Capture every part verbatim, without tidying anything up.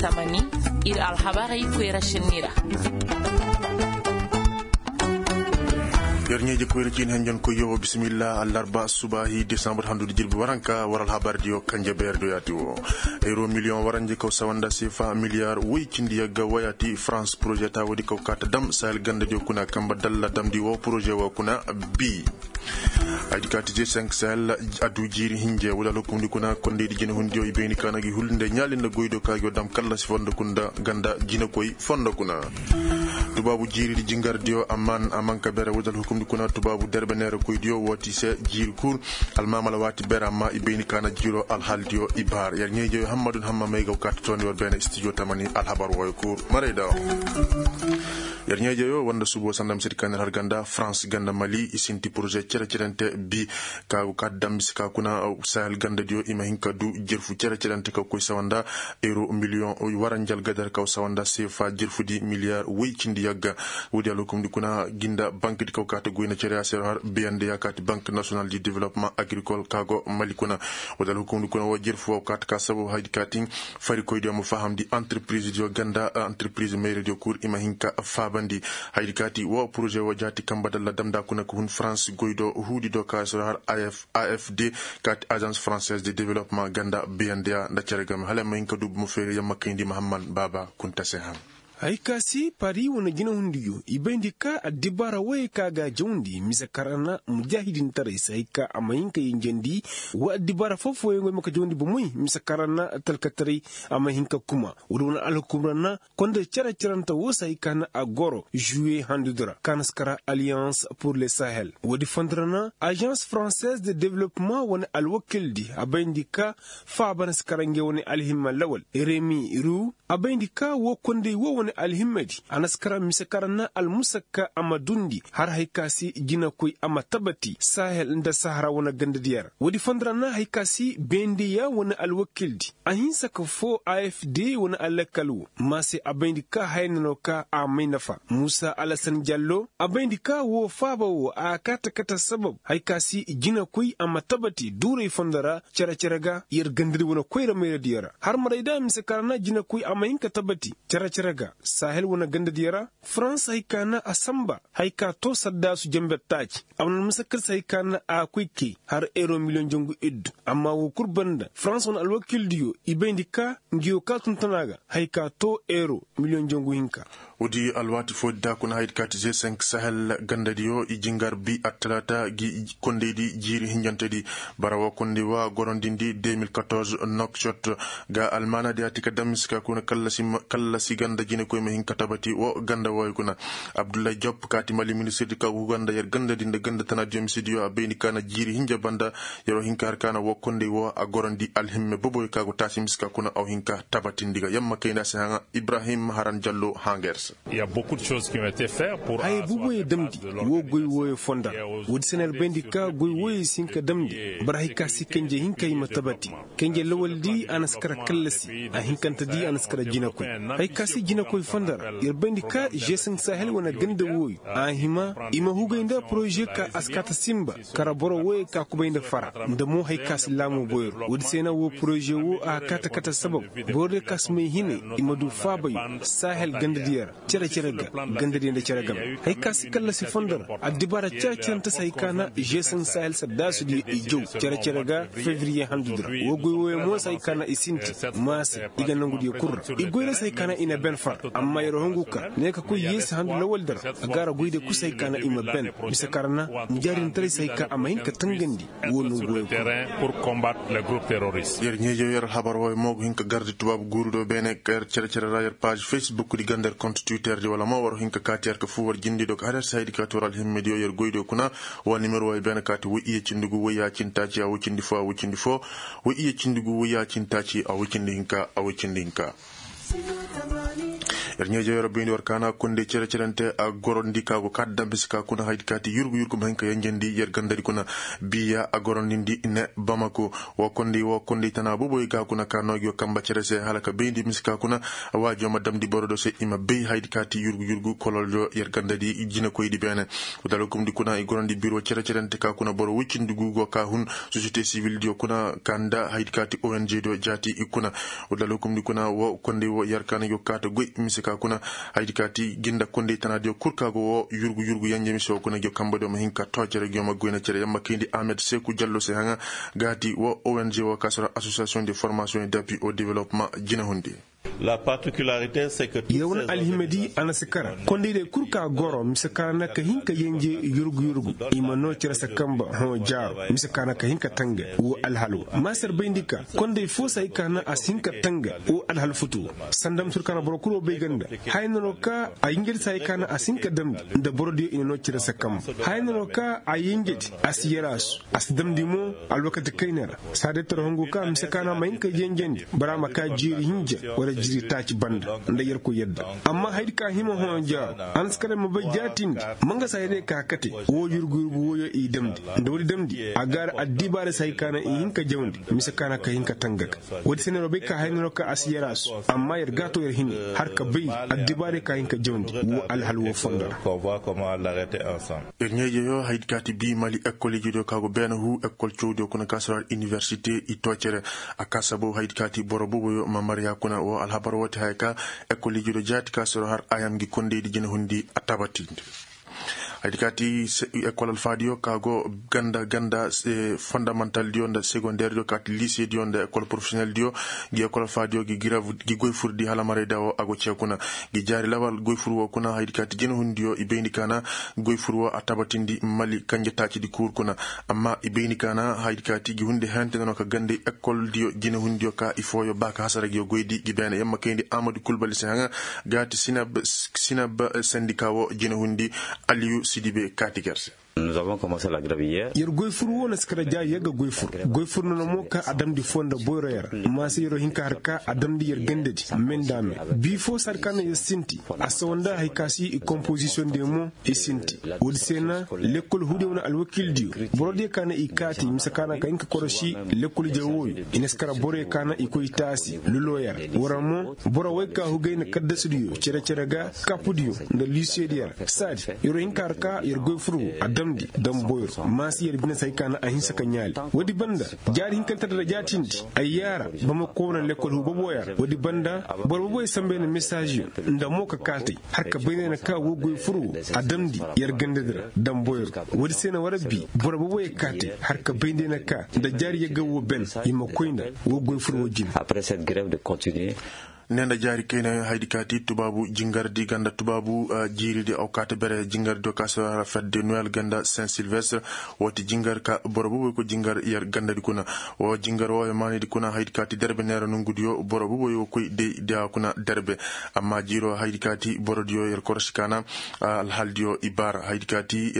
Tamani, ir alhabarey koyra šenni ra. Yer ɲeeje koyra ciini henjen koyyo wo bisimilla allarba subaahi desambur handu di jirbi waranka war alhabar diyo kanje beer do yaati wo. Euro miliyoŋ waranje kaw sawanda sefa miliyar woy cindi yagga wayaati farans poroze ta woodi kaw kaata dam sahel ganda diyo kuna kamba dalla damndi wo poroze wo kuna. Bi. Ay di kaati je cinq sahel addu jiiri hinje wala alhukumndi kuna kondeydi jine hundiyo i bayni kaana gi hulnde ɲaali nda goydo ka gi wo dam kallasi fondo kunda ganda jinekoy fondo kuna. Tubaabu jiiridi jingardiyo amman amanka bere wala alhukumndi kuna tubaabu derbeneere koydiyo wooti se jiiri kul. Almaamala waati bere amma i bayni kaana jiiro alhaaldiyo i baar yer ɲeejeyo hammadun hamma may ga kaati tooni war beene studio tamani alhabar wooyo kul marayda. Yer ɲeejeyo wanda subo sanda misedi kaŋ ner har ganda farans ganda mali i sinti poroze cere-cerente bi. Ka ga kaati dam mise ka kuna sahel gandadiyo i ma hin ka du jerfu cere-cerente ka koy sawanda euro miliyoŋ waranjal gadar kaw sawanda sefa jerfudi miliyar woy cindi yagga. Woodi alhukumdi kuna ginda bankdi kaw kaati goyna cere a se har biyandi ya kaati bank national du développement agricole ka go mali kuna. Woodi alhukumdi kuna wo jerfu wo kaati ka sababu haydi kaati farikoydiyo ma fahamndi entreprise diyo ganda entreprise mayre diyo kul i ma hin ka faabandi. Haydi kaati wo poroze wo jaati kamba dalla damnda kuna ka hun farans goy do huudi do ka sura har afd kaati agence française de développement ganda biyandiya nda cere game hala ma hin ka du bomo feeri yamma kayndi mahamman baaba kunta se han. Hay ka si pari wane jinahundiyo i bayndi ka addibaara woyey ka ga jawndi mise kaŋ ra na mujaahidintaray si hay ka a ma hin ka yinjandi. Wa addibaara foo-fooyaŋ goy ma ka jawndi bomoy mise kaŋ ra na talkataray a ma hin ka kuma. Woodi wane alhukum ra na konda cere-cerante woo si hay ka na a goro žuwe handudi ra ka na si kara alliance pour le sahel woodi fondo ra na agence française de développement wane alwakildi a bayndi ka faaba na si kara ngey wane alhimma lawal remi ru. A bayndi ka woo kondey woo wane alhimmadi a na si kara mise kaŋ ra na almusakka a ma duundi har hay ka se jinakoy a ma tabati sahel nda sahara wane gandadiyo ra. Woodi fondo ra na hay ka se bendeya wane alwakildi a hinsa ka foo afd wane alakal woo ma se a bayndi ka haya na no ka a may nafa muusa alasan jallo a bayndi ka woo faaba woo a kaate kate sabab hay ka se jinakoy a ma tabati duuray fondo ra cere-cere ga yer gandadi wane koyra mayradiyo ra har maray da mise kaŋ ra na jinakoy a ma hin ka tabati cere-cere ga sahel wane gandadiyo ra. Farans hay ka na a sanba hay ka too saddaasu jenber taaci a wane almusakkal se hay ka na a koy kay har euro miliyoŋ jangu iddu amma woo kul banda farans wane alwakildiyo i bayndi ka ngiyo ka tun tana ga hay ka too euro miliyoŋ jangu hinka. Woodi alwaati foodi da kuna haydi kaati ze cinq sahel gandadiyo i jingar bi attalaata gi kondeydi jiiri hinjantedi bara woo kondey woo a gorondindi deux mille quatorze nokcot ga almaanadi a ti ka damis ka kuna kallasi ganda jinekoy ma hin ka tabati woo ganda wooyo kuna. Abdullahi job kaati mali ministirdi ka gu ganda yer gandadi nda ganda tana diyo misidiyo a bayni ka na jiiri hinja banda yer woo hin ka har ka na woo kondey woo a gorondi alhimme boboyo ka gu taasi mis ka kuna aw hin ka tabatindi ga yamma kayna si haŋa ibrahim haran jallo haŋa yer se. Haya bubuye damndi woo goy wooyo fonda ra. Woodi se na ir bayndi ka goy wooyo si hin ka damndi bara hay ka si kenje hinka i ma tabati. Kenje lawaldi a na si kara kallasi a hinkantedi a na si kara jinakoy. Hay ka si jinakoy fonda ra ir bayndi ka žesin sahel wane ganda wooyo a hima i ma hugay nda poroze ka a si kaata sinba kara boro wooyo ka kubay nda fara nda mo hay ka si laamu boyro woodi se na woo poroze woo a kaata kata sabab boro diyo ka si may hinay i ma du faabayo sahel gandadiyo ra cere-cere ga gandadiyo nda cere game. Hay ka si kallasi fondo ra addibaara cere-cerente se hay ka na žesin sahel saddaasudiyo i jaw cere-cere ga fevriye handudi ra woo goy wooyo mo se hay ka na i sinti ma se i ga nangudiyo kul ra i goy ra se hay ka na i na ben far amma yer hongu ka ne ka koy yeesi handu lawaldi ra a gaara goydiyo kul se hay ka na i ma ben mise ka ra na mujaadintaray se hay ka a ma hin ka tangandi. Woo nangu wooyo kul ra. Yer ɲeejew yer alhabar wooyo mo go hin ka gardi tubaabu guuru do beene ka yer cere-cere ra yer paaž facebook di ganda yer kont twitter di wala mo war hin ka kaati yer ka fu war jindi do ka har yer se haydi ka ti war alhimmediyo yer goydiyo kuna. Wa nimero wooyo beene kaati woy iye cindi gu woy yaacintaaci a woy cindi foo a woy cindi foo. Woy iye cindi gu woy yaacintaaci a woy cindi hinka a woy cindi hinka. Yer ɲeeje yer bayndi war kaana kondey cere-cerente a gorandi ka go ka dam mise ka kuna haydi ka ti yurgu yurgu ma hin ka yenjandi yer gandadi kuna. Biya a gorandindi ne bamako. Wo kondey wo kondey tana booboy ka kuna ka noo gi wo kamba cere se hala ka bayndi mise ka kuna. Waajo ma damndi boro do se i ma bay haydi ka ti yurgu yurgu kololjo yer gandadi jinakoydi beene. Wala hukumdi kuna i gorandi biro cere-cerente ka kuna boro woy cindi gu go ka hun sosiyete sibildiyo kuna ka nda haydi ka ti ong diyo jaati i kuna. Wala hukumdi kuna wo kondey wo yer kaana yo kaata goy mise ka kuna. Haydi ka ti gi nda kondey tanaadiyo kul ka go wo yurgu yurgu yenje mise wo kuna gi kambadiyo ma hin ka too cere gi ma goyna cere yamma kayndi ahmed seeku jallo se haŋa. Ga ti wo ong wo ka sara asosiyasiyoŋ de formasiyoŋ et d'appui au developement jinahundi. Yer wane alhimadi a na si kara kondayday kul ka goro mise ka na ka hin ka yenje yurgu yurgu. I ma noo cere se kamba hõ jaaro mise ka na ka hin ka tanga wo alhal wo. Maasar bayndi ka konday fo se hay ka na a si hin ka tanga wo alhal futu wo. Sanda mise ka na boro kul wo bay ganda. Haya no no ka a yenjedi se hay ka na a si hin ka damndi nda borodiyo i na noo cere se kamba. Haya no no ka a yenjedi a si yaraasu a si damndi mo. Alwakati kayna ra saadey tara hongu ka mise ka na ma hin ka yenjendi bora ma ka jiiri hinja wala jiiri taaci banda nda yerkoy yadda. Amma hayadi ka hima hõ jaaro a na si kara ma bay jaatindi. Ma nga saadey ka kate wo yurgu yurgu woyo i damndi nda woodi damndi a gaara addibaarey se hay ka na i hin ka jawndi mise ka na ka hin ka tanga ga. Woodi se neeroo bay ka hay neeroo ka a si yaraasu. Amma yer gaato yer hini har ka bay addibaarey ka hin ka jawndi wo alhal wo fondo ra. Ir ɲeejeyo haydi ka ti bii mali ekol ijediyo ka go beene huu ekol cawdiyo kuna ka si war iniwersite i too cere. A ka sababu haydi ka ti boro booboyo ma marya kuna wo alhabar woo ti haya ka ekol ijediyo jaati ka si war har ayam ngi kondaydi jinahundi a tabatindi. Haydi ka ti ekol alfaadiyo ka go ganda ganda fondamantaldiyo nda segondeerdiyo ka ti liisediyo nda ekol porofesiyoneldiyo. Ngi ekol alfaadiyo ngi goy furdi hala marayda wo a go cee kuna. Ngi jaari lawal goy fur woo kuna haydi ka ti jinahundiyo i bayndi ka na goy fur woo a tabatindi mali kanjataacidi kuur kuna. Amma i bayndi ka na haydi ka ti ngi hundi hente nono ka gandey ekoldiyo jinahundiyo ka i fooyo ba ka hasara ngi goydi ngi beene yamma kayndi amadu kulbali se haŋa. Ga ti sinab sandika woo jinahundi. Aliyu sidibe kaati ger se. Yer goy fur woo na si kara jaari yer ga goy fur. Goy fur nono mo ka a damndi foo nda boyroyo ra. Maasa yeroo hin ka har ka a damndi yer gandadi me nda me. Bii foo saadi ka na yer sinti a sawa nda haya ka si i kompozisiyoŋ diyo mo i sinti. Woodi se na lekkol huudiyo wane alwakiildiyo borodiyo ka na i kaati mise ka na ka hin ka korosi lekkol ije wooyo. I na si kara boroyo ka na i koy taasi lulooyo ra. War mo boro woy ka hugay na kaddasudiyo cere-cere ga kapudiyo nda liisediyo ra. Saadi yeroo hin ka har ka yer goy fur woo a damndi dam boyro maasi yer bine se hay ka na a hinsa ka ɲaali. Woodi banda jaari hinkante da jaatindi ay yaara bamako wane lekkol huu boboyo ra woodi banda boro boboyo sambay na mesaaziyo nda mo ka kaatay har ka bay nda ay na ka woo goy fur woo a damndi yer gandadi ra dam boyro. Woodi se na war bii boro boboyo kaatay har ka bay nda ay na ka nda jaari yagga woo ben i ma koy nda woo goy fur woo jine. Ne nda jaari kayna haydi ka ti tubaabu jingardi ganda tubaabu jiiridi aw kaate bere jingardiyo ka si war har fedde noel ganda saint silvestre. Woo ti jingar ka boro buuboy koy jingar yer gandadi kuna. Woo jingar wooyo maanidi kuna haydi ka ti derbe neera nongudiyo boro buuboy woo koy day diya kuna derbe. Amma jiiroo haydi ka ti borodiyo yer korosi ka na alhaldiyo i baara haydi ka ti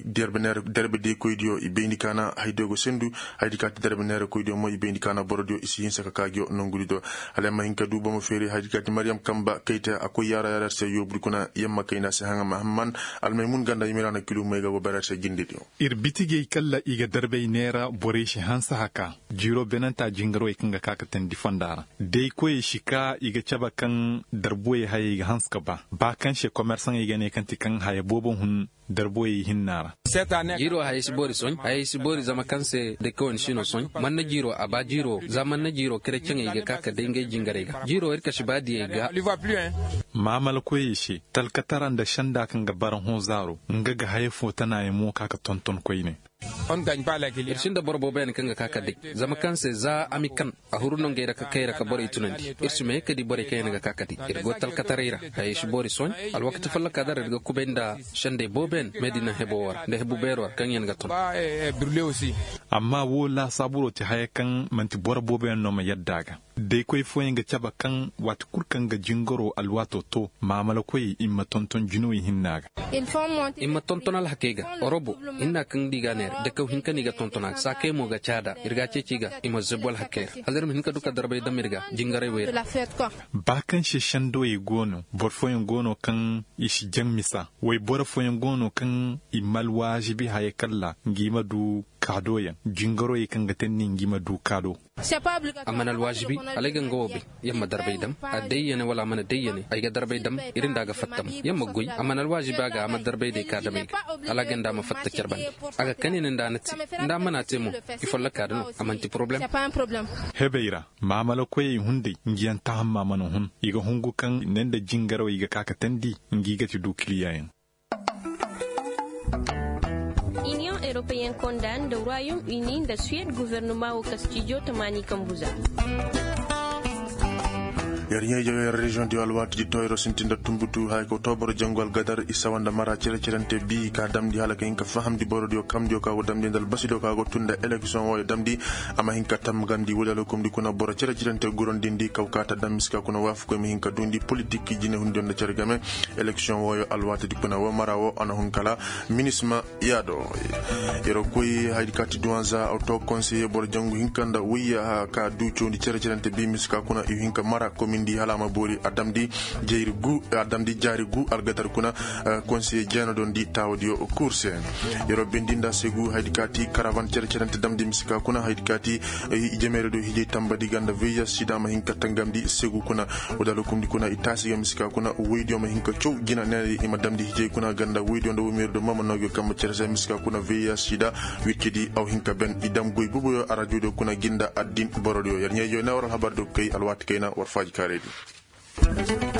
derbe neera derbe day koydiyo i bayndi ka na haydiyo go sendu. Haydi ka ti derbe neera koydiyo mo i bayndi ka na borodiyo i si hinsa ka kaa ngiyo nongudi do. Hala yamma hin ka du bomo feeri haydi ka ti mariyam kamba kayta a koy yaara yaara yer se yoobudi kuna yamma kayna se haŋa mahamman. Almaymun ganda yimiraana kilu may ga go bara yer se jindidi. Ir bitigey kalla i ga darbey neera borey si hanse haka. Jiiro benanta jingarwey kaŋ ga ka ka teendi fonda ra day koyey si ka i ga cabe kaŋ darbuwey hayey ga hanse ka ba ba kaŋ se komersaŋey ga ne kaŋ ti kaŋ haya boobo hun darbuwey hinna ra. Jiiro hayey si boori soɲ hayey si boori zama kaŋ se day koyey si no soɲ. Manna jiiro a ba jiiro za manna jiiro kereceŋey ga ka ka day ngey jingarey ga jiiro ir ka si ba diyey ga. Maamala koyey se talkatara nda senda kaŋ ga bara hõ zaaro nga ga haya fo tana yaŋ mo ka ka tonton koyne. Ir sinda boro boobo yaŋ kaŋ ga ka ka day zama kaŋ se za a mi kan a huru nongey ra ka kay ra ka borey tunandi. Ir si ma ye ka di borey kaŋ yaŋ ga ka ka day ir go talkataray ra. Hayey si boori sohõ alwakati folloka da ra ir ga kubay nda sendey boobo yaŋ meedina hebo wo ra nda hebu beero ra kaŋ yaŋ ga ton. Amma woo laasaaburo ti haya kaŋ man'ti boro boobo yaŋ no ma yadda a ga. Daykoy fooyaŋ ga cabe kaŋ waati kul kaŋ ga jingaro alwaatoo too, maamalakoyey i ma tonton jinawey hinna ga. I ma tonton alhakey ga orobo hinna kaŋ nda i ga a neera dakaw hinka no i ga tonton a ga saakey mo ga caada ir ga a ceeci ga i ma zabu alhakey ra hala ir ma hin ka du ka darbay dam ir ga jingaray wey ra. Ba kaŋ se sendowey go no boro fooyaŋ go no kaŋ i si jaŋ misa. Wayboro fooyaŋ go no kaŋ i ma alwaazibi haya kalla ngi ma du kaadoyaŋ jingaroyey kaŋ ga teendi ngi ma du kaado. A mana alwaazibi hala ay ga nga wo bay. Yamma darbay dam a dayyane wala a mana dayyane ay ga darbay dam. Iri nda a ga fatta mo yamma goy a mana alwaazibi a ga a ma darbay day ka damay ga hala a ga nda a ma fatta care bande. A ga kani ne nda a na te nda a mana te mo. I folloka da no a manti poroblem. Hebey ra maamalakoyey hunday ngiyaŋ tahamma mana hun i ga hungu kaŋ ne nda jingarawey ga ka ka teendi. Ngi ga ti du kiliyaŋ yaŋ. Iniyoŋ europeyen konda nda royaume uni nda suwed guvernoma wo kastijo tamaani kambu za. Yer ɲayjaw yer reziyoŋ diyo alwaati di toyro sintin nda tumbutu haya ka too boro jangu algadar i sawa nda mara cere-cerente bi ka damndi hala ka hin ka fahamndi borodiyo kamndiyo ka go damndi nda albasidiyo ka go tun nda eleksiyoŋ wooyo damndi. A ma hin ka tamgandi woodi alhukumndi kuna boro cere-cerente gurandindi kaw ka ta dam miska kuna waafakoy ma hin ka duundi politik jinehundiyo nda cere game. Eleksiyoŋ wooyo alwaatidi kuna woo mara woo a na hun kala minisma yaado. Yer koy haydi kaati duwanza a to konseye boro jangu hinka nda woyya ka du cawndi cere-cerente bi miska kuna i hin ka mara komindi hala a ma boori a damndi jaari gu algatar kuna. Konseye jeenodondi taawadiyo kurse. Yer bindi nda segu haydi kaati karavan cere-cerente damndi miska kuna haydi kaati. Jemeerediyo hijay tambadi ga nda veyas sida ma hin ka tangamndi segu kuna. Woodi alhukumndi kuna i taasi ga miska kuna woydiyo ma hin ka caw jina neera i ma damndi hijay kuna ga nda woydiyo nda womeeridiyo ma ma noo gi yo kambe cere se miska kuna veyas sida. Wiccidi aw hin ka ben i dam goy boboyo arajoodiyo kuna gi nda addin borodiyo yer ɲaydiyo ne war alhabardiyo kay alwaati kayna war faaji kaaraydi.